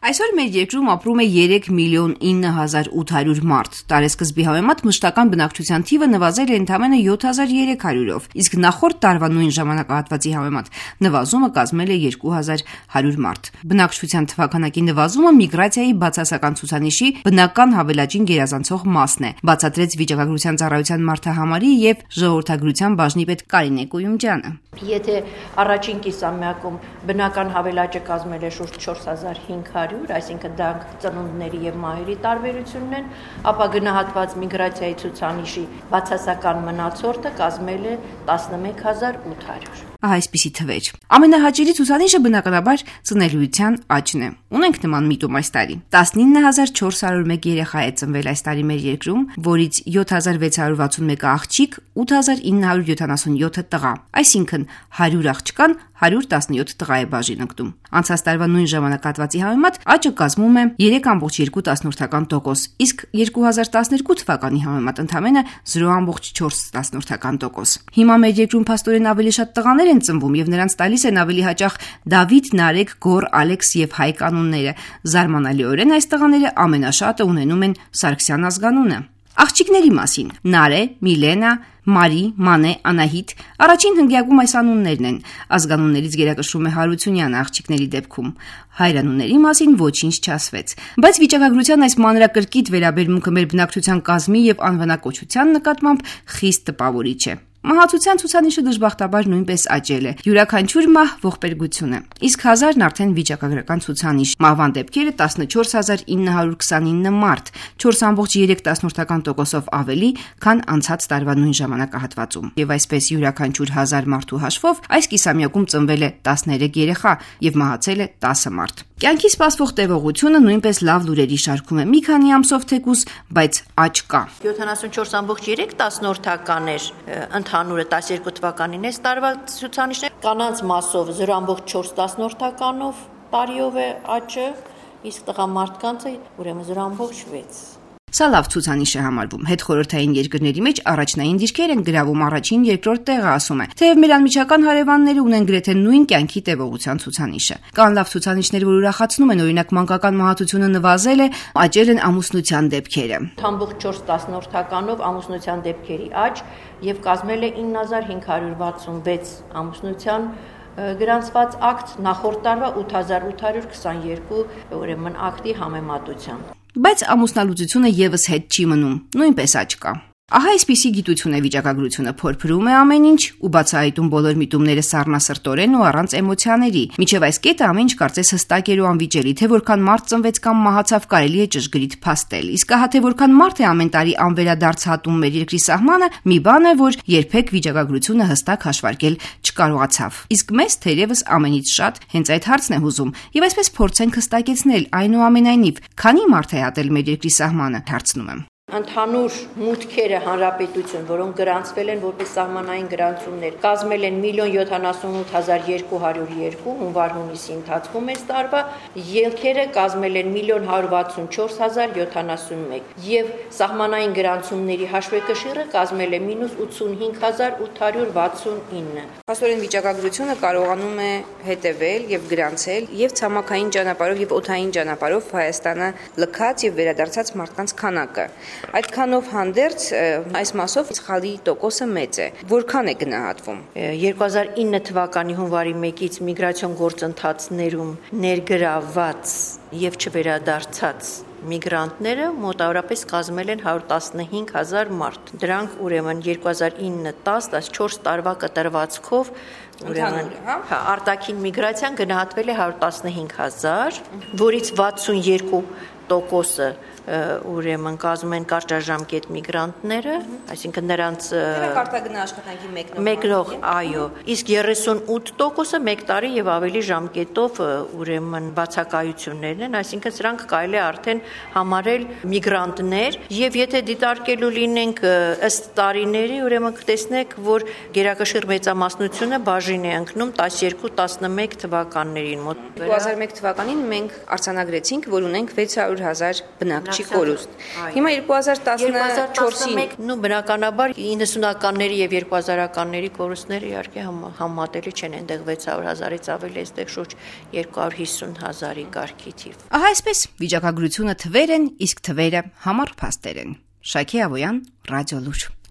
Այսօր մեր երկրում ապրում է 3,9,800,000 մարդ, տարեսկզբի համեմատ մշտական բնակչության թիվը նվազել է ընդամենը 7,300-ով, իսկ նախորդ տարվա նույն ժամանակահատվածի համեմատ նվազումը կազմել է 2,100 մարդ։ Բնակչության թվաքանակի նվազումը միգրացիայի բացասական ցուցանիշի բնական հավելաճին գերազանցող մասն է, բացատրեց Վիճակագրության ծառայության մարդահամարի եւ ժողովրդագրության բաժնի պետ Կարինե Կույումջյանը։ Եթե առաջին կիսամյակում բնական հավելաճը կազմել է շուրջ 4500, այսինքն դա ծնունդների եւ մահերի տարբերությունն են, ապա գնահատված միգրացիայի ցուցանիշի բացասական մնացորդը կազմել է 11800։ Ահա այսպիսի թվեր։ Ամենահաճելի ցուցանիշը բնականաբար ծնելիության աճն է։ Ունենք նման միտում այս տարի։ 19401 երեխա է ծնվել այս տարի մեր երկրում, որից 7661-ը աղջիկ, 8977-ը տղա, այսինքն 100 աղջկան 117 տղա է բաժին ընկնում։ Անցած տարվա նույն ժամանակահատվածի համեմատ աճը կազմում է 3,2%, իսկ 2012 թվականի համեմատ ընդամենը 0,4%։ Հիմա մեր երկրում փաստորեն ավելի շատ տղաներ են ծնվում եւ նրանց տալիս են ավելի հաճախ Դավիթ, Նարեկ, Գոր, Ալեքս եւ Հայկ անունները։ Զարմանալիորեն այս տղաները ամենաշատը ունենում են Սարգսյան ազգանունը։ Աղջիկների մասին՝ Նարե, Միլենա, Մարի, Մանե, Անահիտ, առաջին հնգյակում այս անուններն են։ Ազգանուններից գերակշռում է Հարությունյանը աղջիկների դեպքում։ Հայրանունների մասին ոչինչ չասվեց։ Բայց վիճակագրության այս մանրակրկիտ վերաբերմունքը մեր բնակչության կազմի եւ անվանակոչության նկատմամբ խիստ տպավորիչ է։ Մահացության ցուցանիշը դժբախտաբար նույնպես աճել է։ Յուրաքանչյուր մահ ողբերգություն է։ Իսկ 1000-ն արդեն վիճակագրական ցուցանիշ։ Մահվան դեպքերը 14929 մարդ, 4,3%-ով ավելի, քան անցած տարվա նույն ժամանակահատվածում։ Եվ այսպես յուրաքանչյուր 1000 մարդու հաշվով այս կիսամյակում ծնվել է 13 երեխա եւ մահացել է 10 մարդ։ Կյանքի սպասվող տևողությունը նույնպես լավ լուրերի շարքում է։ Մի քանի ամսով թեկուզ, բայց աճ կա։ 74,3 էր ընդհանուրը 12 թվականին այս տարվա ցուցանիշն է, կանանց մասով 0,4%-ով տարիով է աճը, իսկ տղամարդկանցը ուրեմն 0,6%։ Սա լավ ցուցանիշ է համարվում։ Հետխորհրդային երկրների մեջ առաջնային դիրքեր են գրավում, առաջին, երկրորդ տեղը ասում է։ Թեև մեր անմիջական հարևանները ունեն գրեթե նույն կյանքի տևողության ցուցանիշը։ Կան լավ ցուցանիշներ, որ ուրախացնում են, օրինակ մանկական մահացությունը նվազել է, աճել են ամուսնության դեպքերը։ 0,4%-ով ամուսնության դեպքերի աճ եւ կազմել է 9566 ամուսնության գրանցված ակտ նախորդ տարվա 8822 ուրեմն ակտի համեմատությամբ։ Բայց ամուսնալուծությունը եւս հետ չի մնում, նույնպես աճ կա։ Ահա այսպիսի գիտություն է վիճակագրությունը, փորփրում է ամեն ինչ ու բացահայտում բոլոր միտումները սառնասրտորեն ու առանց էմոցիաների։ Մինչև այս կետը ամեն ինչ կարծես հստակ էր ու անվիճելի, թե որքան մարդ ծնվեց կամ մահացավ կարելի է ճշգրիտ փաստել։ Իսկ ահա թե որքան մարդ է ամեն տարի անվերադարձ հատում մեր երկրի սահմանը, մի բան է, որ երբեք վիճակագրությունը հստակ հաշվարկել չկարողացավ։ Իսկ մեզ թերևս ամենից շատ հենց այդ հարցն է հուզում, եւ այսպես փորձենք հստակեցնել այնուամենայնիվ, քանի մարդ է հատել մեր երկրի սահմանը, հարցնում եմ։ Ընդհանուր մուտքերը հանրապետություն, որոնք գրանցվել են որպես սահմանային գրանցումներ, կազմել են 1,078,202 հունվար-հունիսի ընթացքում այս տարվա, ելքերը կազմել են 1,164,071 եւ սահմանային գրանցումների հաշվեկշիռը կազմել է -85,869։ Փաստորեն վիճակագրությունը կարողանում է հետևել եւ գրանցել եւ ցամաքային ճանապարհով եւ օդային ճանապարհով Հայաստանը լքած եւ վերադարձած մարդկանց քանակը։ Այդքանով հանդերձ այս մասով սխալի տոկոսը մեծ է։ Որքան է գնահատվում։ 2009 թվականի հունվարի 1-ից միգրացիոն գործընթացներում ներգրավված եւ չվերադարձած միգրանտները մոտավորապես կազմել են 115000 մարդ։ Դրանք ուրեմն 2009-10-14 տարվա կտրվածքով ուրեմն արտաքին միգրացիան գնահատվել է 115000, որից 62%-ը ուրեմն կազմում են կարճաժամկետ միգրանտները, այսինքն նրանց արտագնա աշխատանքի մեկնող, այո, իսկ 38%-ը 1 տարի եւ ավելի ժամկետով ուրեմն բացակայություններն են, այսինքն սրանք կարելի է արդեն համարել միգրանտներ եւ եթե դիտարկելու լինենք ըստ տարիների, ուրեմն կտեսնեք, որ գերակշիռ մեծամասնությունը բաժին է ընկնում 12-11 թվականներին մոտ։ 2001 թվականին մենք արձանագրեցինք, որ ունենք 600 500,000 բնակչի կորուստ։ Հիմա 2014-ին նու բնականաբար 90-ականների եւ 2000-ականների կորուստները իհարկե համատելի չեն, այնտեղ 600,000-ից ավելի, այստեղ շուրջ 250,000-ի կարգի թիվ։ Ահա այսպես վիճակագրությունը թվեր են, իսկ թվերը համառ փաստեր են։ Շակե Ավոյան, Ռադիոլուր։